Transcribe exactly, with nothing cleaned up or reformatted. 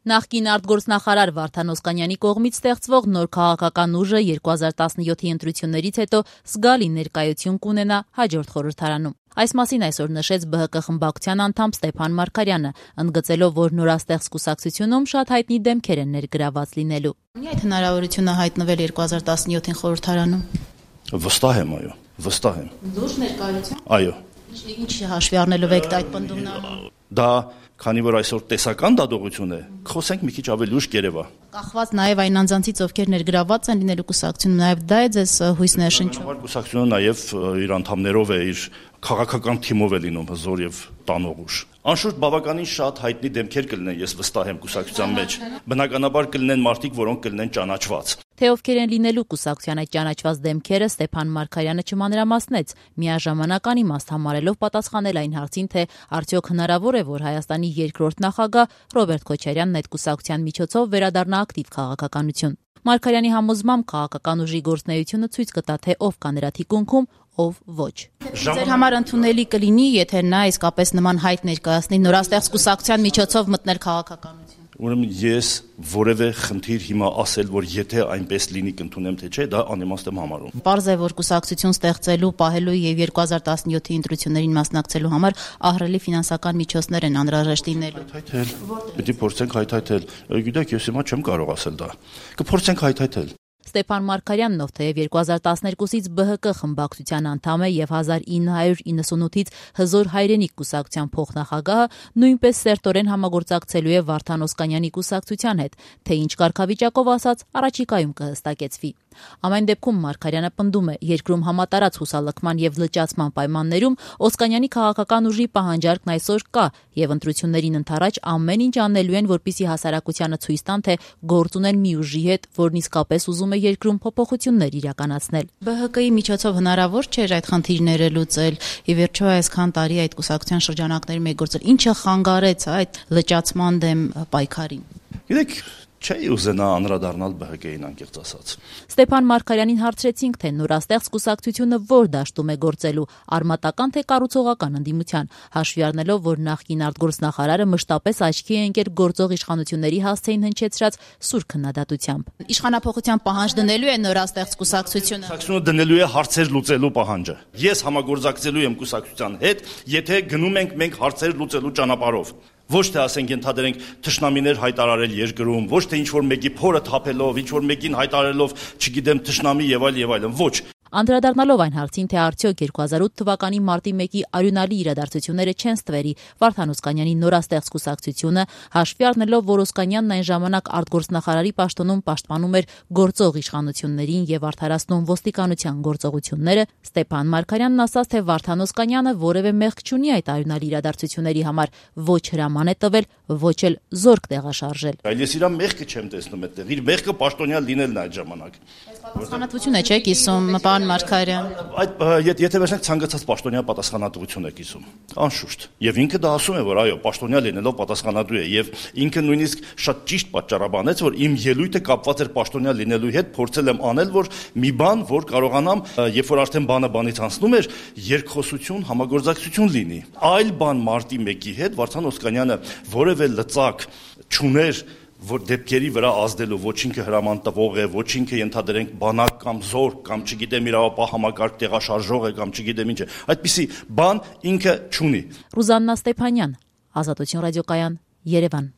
Նախկին արտգործնախարար Վարդան Օսկանյանի կողմից ստեղծվող նոր քաղաքական ուժը երկու հազար տասնյոթի ընտրություններից հետո զգալի ներկայություն կունենա հաջորդ խորհրդարանում։ Այս մասին այսօր նշեց Բ Հ Կ խմբակցության անդամ Ստեփան Մարգարյանը, ընդգծելով, որ նորաստեղծ կուսակցությունում շատ հայտնի դեմքեր են ներգրաված լինելու։ Ունի այդ հնարավորությունը հայտնվել երկու հազար տասնյոթին խորհրդարանում։ Վստահ եմ, այո, վստահ եմ։ Լուրջ ներկայություն։ Այո։ Ինչ հաշվի առնելով եք այդ պնդումները։ Դա քանի որ այսօր տեսական դատողություն է, խոսենք մի քիչ ավելի ուշ Երևա։ Կախված նաև այն անձանցից, ովքեր ներգրաված են լինելու կուսակցությունում, նաև դա է ձեզ հույս ներշնչում։ Կուսակցությունը նաև իր անդամներով է, իր քաղաքական թիմով է լինում հզոր եւ տանող ուժ։ Անշուշտ բավականին շատ հայտնի դեմքեր կլինեն, ես վստահ եմ կուսակցության մեջ։ Բնականաբար կլինեն մարդիկ, որոնք կլինեն ճանաչված։ Թե ովքեր են լինելու կուսակցության այդ ճանաչված դեմքերը, Ստեփան Մարգարյանը չմանրամասնեց, միաժամանակ անիմաստ համարելով պատասխանել այն հարցին, թե արդյոք հնարավոր է, որ Հայաստանի երկրորդ նախագահ Ռոբերտ Քոչարյանն այդ կուսակցության միջոցով վերադառնա ակտիվ քաղաքականություն։ Մարգարյանի համոզմամբ քաղաքական ուժի գործունեությունը ցույց կտա, թե ով կա նրա թիկունքում, ով ոչ։ Ձեր համար ընդունելի կլինի, եթե նա իսկապես նման հայտ ներկայացնի նորաստեղծ կուսակցության միջոցով մտնել քաղաքականություն։ Ուրեմն ես որևէ խնդիր հիմա ասել, որ եթե այնպես լինի կընդունեմ թե չէ, դա անիմաստ եմ համարում։ Պարզ է, որ կուսակցություն ստեղծելու, պահելու եւ երկու հազար տասնյոթի ընտրություններին մասնակցելու համար ահռելի ֆինանսական միջոցներ են անհրաժեշտ լինելու։ Հայթայթել։ Պետք է փորձենք հայթայթել։ Գիտեք, ես հիմա չեմ կարող ասել դա։ Կփորձենք հայթայթել։ Ստեփան Մարգարյանն, ով թեև երկու հազար տասներկուսից Բ Հ Կ խմբակցության անդամ է եւ հազար ինը հարյուր իննսունութից Հզոր հայրենիք կուսակցության փոխնախագահը, նույնպես սերտորեն համագործակցելու է Վարդան Օսկանյանի կուսակցության հետ, թե ինչ կարգավիճակով ասած առաջիկայում կհստակեցվի։ Ամեն դեպքում Մարգարյանը պնդում է, երկրում համատարած հուսալքման եւ լճացման պայմաններում Օսկանյանի քաղաքական ուժի պահանջարկն այսօր կա եւ ընտրություններին ընդառաջ ամեն ինչ անելու են, որպեսզի հասարակությանը ցույց տան, թե գործ ունեն մի ուժի հետ, որն իսկապես ուզում է երկրում փոփոխություններ իրականացնել։ Բ Հ Կ-ի միջոցով հնարավոր չէր այդ խնդիրները լուծել։ Ի վերջո այսքան տարի այդ կուսակցության շրջանակներում է գործել։ Ինչը խանգարեց այդ լճացման դեմ պայքարին։ Գիտեք, չէի ուզենա անդրադառնալ Բ Հ Կ-ին անկեղծ ասած։ Ստեփան Մարգարյանին հարցրեցինք, թե նորաստեղծ կուսակցությունը որ դաշտում է գործելու, արմատական թե կառուցողական ընդդիմության, հաշվի առնելով, որ նախկին արտգործնախարարը մշտապես աչքի է ընկել գործող իշխանությունների հասցեին հնչեցրած սուր քննադատությամբ։ Իշխանափոխության պահանջ դնելու է նորաստեղծ կուսակցությունը։ Կուսակցությունը դնելու է հարցեր լուծելու պահանջը։ Ես համագործակցելու եմ կուսակցության հետ, եթե գնում ենք մենք հարցեր լուծելու ճանապարհով։ Ոչ թե ասենք ենթադրենք թշնամիներ հայտարարել երկրում, ոչ թե ինչ-որ մեկի փորը թափելով, ինչ-որ մեկին հայտարարելով, չգիտեմ, թշնամի եւ այլ եւ այլն, ոչ։ Անդրադառնալով այն հարցին, թե արդյոք երկու հազար ութ թվականի մարտի մեկի արյունալի իրադարձությունները չեն ստվերի Վարդան Օսկանյանի նորաստեղծ կուսակցությունը, հաշվի առնելով, որ Օսկանյանն այն ժամանակ արտգործնախարարի պաշտոնում պաշտպանում էր գործող իշխանություններին եւ արդարացնում ոստիկանության գործողությունները, Ստեփան Մարգարյանն ասաց, թե Վարդան Օսկանյանը որևէ մեղք չունի այդ արյունալի իրադարձությունների համար, ոչ հրաման է տվել, ոչ էլ զորք տեղաշարժել։ Այլ ես իր մեղքը չեմ տեսնում այդտեղ, իր մեղքը պաշտոնյա լինելն է այդ ժամանակ։ Պատասխանատվություն է, չէ՞, կիսում պարոն Մարգարյան։ Այդ եթե վերջնակ ցանկացած պաշտոնյա պատասխանատվություն է կիսում, անշուշտ։ Եվ ինքը դա ասում է, որ այո, պաշտոնյա լինելով պատասխանատու է, եւ ինքը նույնիսկ շատ ճիշտ պատճառաբանեց, որ իմ ելույթը կապված էր պաշտոնյա լինելու հետ, փորձել եմ անել, որ մի բան, որ կարողանամ, երբ որ արդեն բանը բանից անցնում էր, երկխոսություն, համագործակցություն լինի։ Այլ բան մարտի մեկի հետ Վարդան Օսկանյանը որևէ լծակ չուներ, որ դեպքերի վրա ազդելու, ոչ ինքը հրաման տվող է, ոչ ինքը ենթադրենք բանակ կամ զորք կամ չգիտեմ իրավապահ համակարգ տեղաշարժող է կամ չգիտեմ ինչ է, այդպիսի բան ինքը չունի։ Ռուզաննա Ստեփանյան, Ազատություն ռադիոկայան, Երևան։